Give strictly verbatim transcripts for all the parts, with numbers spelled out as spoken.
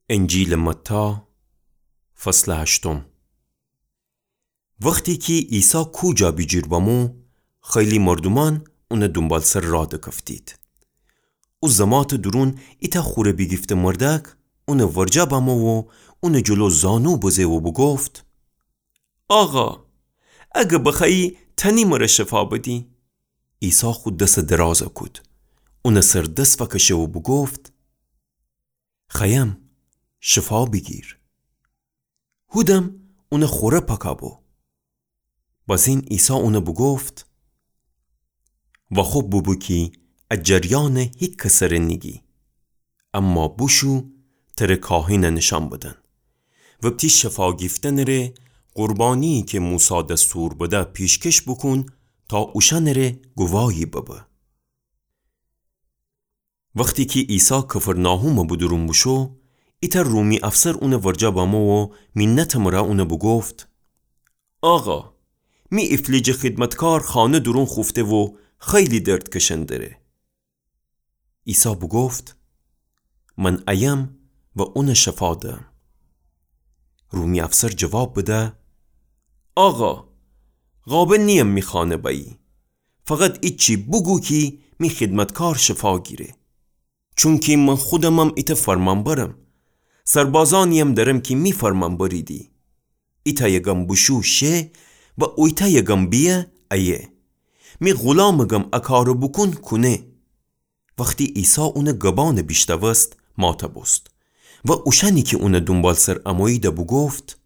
انجیلٚ متی، فصلٚ هشتم. وختی کی عیسی کو جا بیجیر بمو، خیلی مردومأن اونٚ دونبالسر راه دکفتید. او زماتٚ دورون ایتأ خوره بیگیفته مردأک اونٚ ورجه بمو و اونٚ جلو زانو بزه و بوگفت: آقا، اگر بخوأیی تأنی مر شفا بدی. عیسی خو دس درازَ کود، اونٚ سر دس فکشه و بوگفت: خوأیم، شفا بیگیر. هودم اونٚ خوره پاکَ بو. بازین عیسی اونَ بوگفت: واخوب بوبو کی ا جریانَ هیکسٚ سر نیگی، اما بوشو تره کاهنَ نیشأن بدن. وپتی شفا گیفتنٚ ره قربانی‌یی کی موسی دستور بده پیشکش بوکون تا اوشأنٚ ره گواهی ببه. وختی کی عیسی کفرناحومٚ بدورون بوشو، ایتأ رومی افسر اونٚ ورجه بمو و مینتٚ مره اونَ بوگفت: آقا، می ایفلیجٚ خیدمتکار خانه دورون خوفته و خیلی درد کشن دره. عیسی بوگفت: من ایم و اونَ شفا دم. رومی افسر جواب بده: آقا، قابل نییم می خانه بأیی. فقط ایچی بوگو کی می خیدمتکار شفا گیره. چونکی من خودمم ایتأ فرمانبرم. سربازأنییم درم کی می فرمانبریدی. ایتأیٚ گم بوشو شه و اویتأیٚ گم بیه ایه. می غولامٚ گم ا کارَ بوکون کونه. وختی عیسی اونٚ گبأنَ بیشنوست، ماتَ بوست و اوشأنی کی اونٚ دونبالسر اموییدَ بوگفت: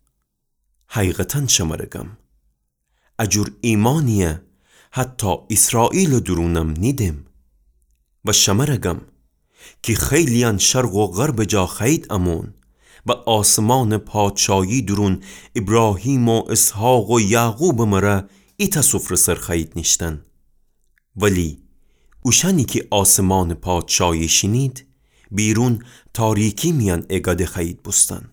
حقیقتاً شمرَ گم، ا جور ایمانیَ حتی ایسرائیلٚ دورونم نیدم. و شمرَ گم کی خیلیأن شرق و غربٚ جا خوأیید امون و آسمانٚ پادشایی دورون ایبراهیم و اسحاق و یعقوبٚ مره ایتأ سفره سر خوأیید نیشتن. ولی اوشأنی کی آسمانٚ پادشایی شینید، بیرون تاریکی میأن ایگده خوأیید بوستن.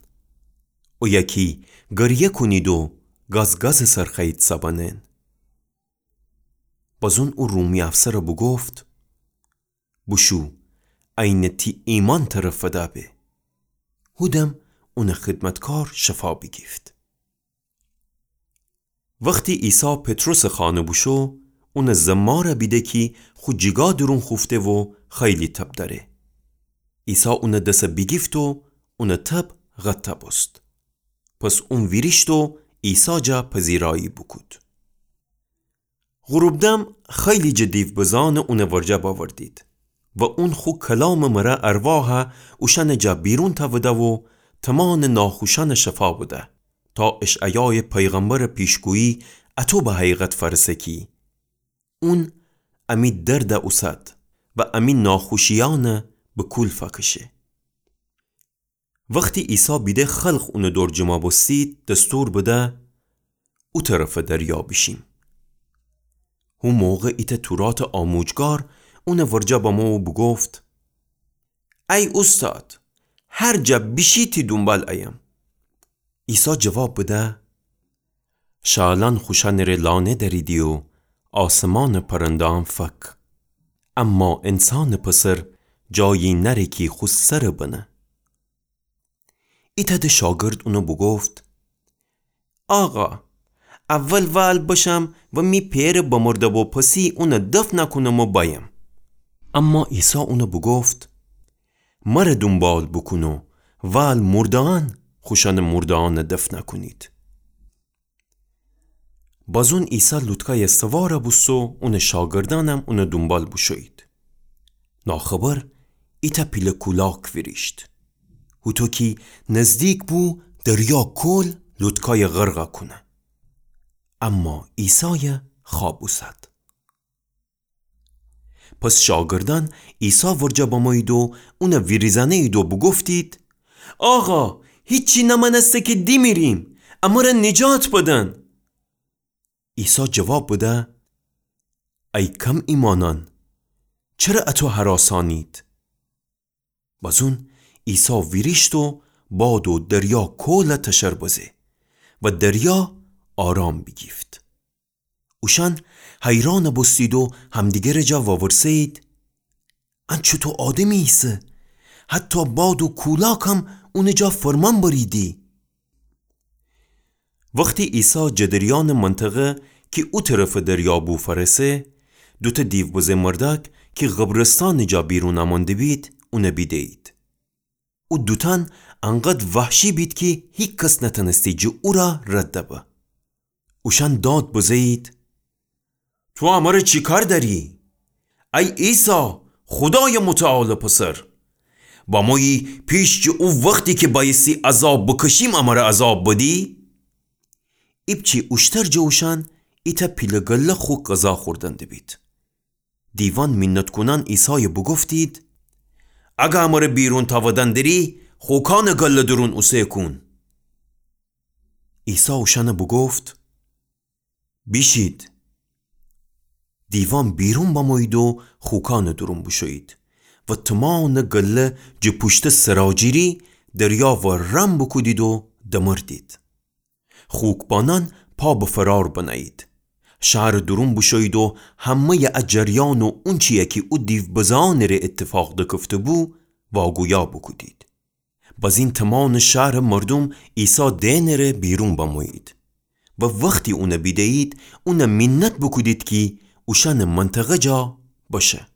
اویه کی گریه کونید و گازگازٚ سر خوأیید سبنن. بازون او رومی افسرَ بوگفت: بوشو، عینٚ تی ایمأن تره فدا به. هودم اونٚ خیدمتکار شفا بیگیفت. وختی عیسی پطرسٚ خانه بوشو، اونٚ زمارَ بیده کی خو جیگا دورون خوفته و خیلی تب دأره. عیسی اونٚ دسَ بیگیفت و اونٚ تب قطع بوست. پس اون ویریشت و عیسی جا پذیرایی بوکود. غروبدم خیلی جٚه دیوبزأنَ اونٚ ورجه بأوردید و اون خو کلامٚ مره ارواحَ اوشأنٚ جا بیرون تأوده و تمأنٚ ناخوشأنَ شفا بده، تا اشعیایٚ پیغمبرٚ پیشگویی اطو به حقیقت فأرسه کی اون امی دردَ اوسد و امی ناخوشیأنَ به کول فأکشه. وختی عیسی بیده خلق اونٚ دور جمع بوستید، دستور بده او طرفٚ دریا بیشیم. هو موقع ایتأ توراتٚ آموجگار اونٚ ورجه بمو و بوگفت: ای اوستاد، هر جا بیشی تی دونبال ایم. عیسی جواب بده: شألأن خوشأنٚ ره لانه دأریدی و آسمانٚ پرنده‌أن فک، اما انسانٚ پسر جایی نأره کی خو سرَ بنه. ایتأ ده شاگرد اونَ بوگفت: آقا، اول وأل بشم و می پئرٚ بمرده‌بو پسی اونَ دفن کونم و بأیم. اما عیسی اونَ بوگفت: مرَ دونبال بوکون و وأل مرده‌أن خوشأنٚ مرده‌أنَ دفن کونید. بازون عیسی لوطکایَ سوارَ بوست و اونٚ شاگردأنم اونٚ دونبال بوشویید. ناخبر ایتأ پیله کولاک ویریشت، هوطو کی نزدیک بو دریا کول لوطکایَ غرق کونه. اما عیسایَ خوأب اوسد. پس شاگردأن عیسی ورجه بمویید و اونَ ویریزأنه‌یید و بوگفتید: آقا، هیچی نمأنسته کی دیمیریم، امرَ نجات بدن. عیسی جواب بده: ای کم ایمأنأن، چره اطو هراسأنید؟ بازون عیسی ویریشت و باد و دریا کولَ تشر بزه و دریا آرام بیگیفت. اوشأن حیرأنَ بوستید و همدیگرٚ جا وورسه‌یید: ان چوطو آدمی ایسه؟ حتی باد و کولاکم اونٚ جا فرمان بریدی. وختی عیسی جٚه دریانٚ منطقه کی او طرفٚ دریا بو فأرسه، دوتأ دیوبزه مردأک کی قبرستانٚ جا بیرون امأن دبید، اون بیدهیید. او دوتأن انقدر وحشی بید کی هیکس نتأنستی جٚه او رأ رد دبه. اوشأن داد بزهیید: تو امر چی کار دأری؟ ای عیسی، خودایٚ متعالٚ پسر، بمویی پیش جٚه او وختی کی بأیستی عذاب بکشیم امر عذاب بدی؟ ایپچی اوشتر جٚه اوشأن ایتأ پیله گله خو غذا خوردن دبید. دیوأن مینت کونأن عیسایَ بوگفتید: اگر امر بیرون تأودن دری، خو کانٚ گله دورون اوسه کون. عیسی اوشأنَ بوگفت: بیشید. دیوأن بیرون بمویید و خو کانٚ دورون بوشویید و تومانٚ گله جٚه پوشتٚ سراجیری دریا ورم بوکودید و دمردید. خوکبانأن پا به فرار بنهیید. شهرٚ دورون بوشویید و همه‌یٚ ا جریان و اونچی‌یَ کی او دیوبزه‌یأنٚ ره ایتفاق دکفته‌بو، واگویا بوکودید. بزین تومانٚ شهرٚ مردوم عیسی دئنٚ ره بیرون بمویید و وختی اونَ بیدهیید، اونَ مینت بوکودید کی اوشأنٚ منطقه جا بشه.